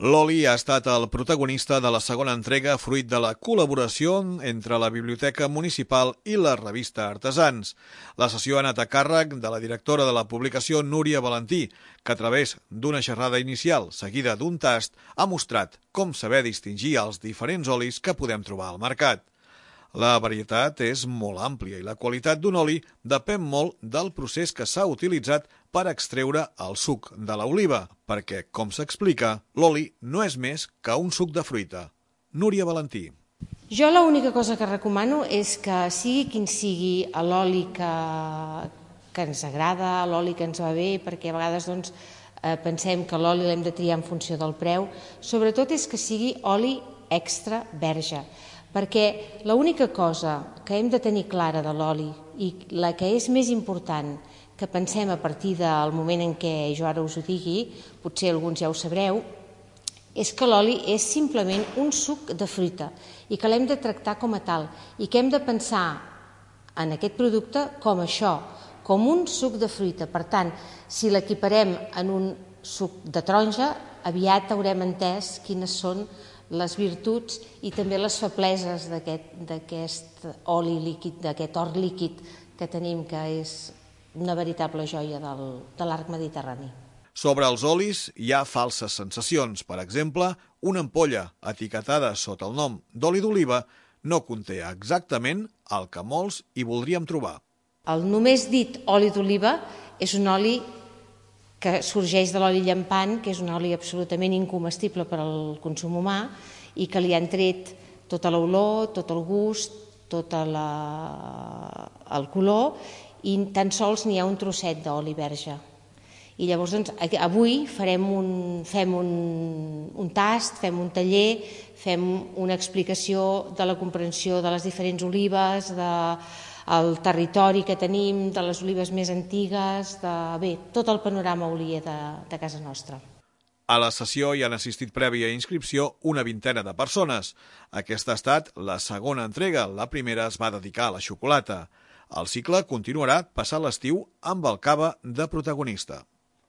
L'oli ha estat el protagonista de la segona entrega fruit de la col·laboració entre la Biblioteca Municipal i la revista Artesans. La sessió ha anat a càrrec de la directora de la publicació, Núria Valentí, que a través d'una xerrada inicial seguida d'un tast ha mostrat com saber distingir els diferents olis que podem trobar al mercat. La varietat és molt àmplia i la qualitat d'un oli depèn molt del procés que s'ha utilitzat per extreure el suc de l'oliva, perquè, com s'explica, l'oli no és més que un suc de fruita. Núria Valentí. Jo l'única cosa que recomano és que sigui quin sigui l'oli que ens agrada, l'oli que ens va bé, perquè a vegades pensem que l'oli l'hem de triar en funció del preu, sobretot és que sigui oli extra verge, perquè l'única cosa que hem de tenir clara de l'oli i la que és més important que pensem a partir del moment en què jo ara us ho digui, potser alguns ja ho sabreu, és que l'oli és simplement un suc de fruita i que l'hem de tractar com a tal i que hem de pensar en aquest producte com això, com un suc de fruita. Per tant, si l'equiparem en un suc de taronja, aviat haurem entès quines són les virtuts i també les febleses d'aquest oli líquid, d'aquest or líquid que tenim, que és una veritable joia de l'arc mediterrani. Sobre els olis hi ha falses sensacions. Per exemple, una ampolla etiquetada sota el nom d'oli d'oliva no conté exactament el que molts hi voldríem trobar. El només dit oli d'oliva és un oli que sorgeix de l'oli llampant, que és un oli absolutament incomestible per al consum humà i que li han tret tota l'olor, tot el gust, tot el color, i tan sols n'hi ha un trosset d'oli verge. I llavors avui fem un tast, fem un taller, fem una explicació de la comprensió de les diferents olives, del territori que tenim, de les olives més antigues, tot el panorama olier de casa nostra. A la sessió hi han assistit prèvia inscripció una vintena de persones. Aquesta ha estat la segona entrega, la primera es va dedicar a la xocolata. El cicle continuarà passat l'estiu amb el cava de protagonista.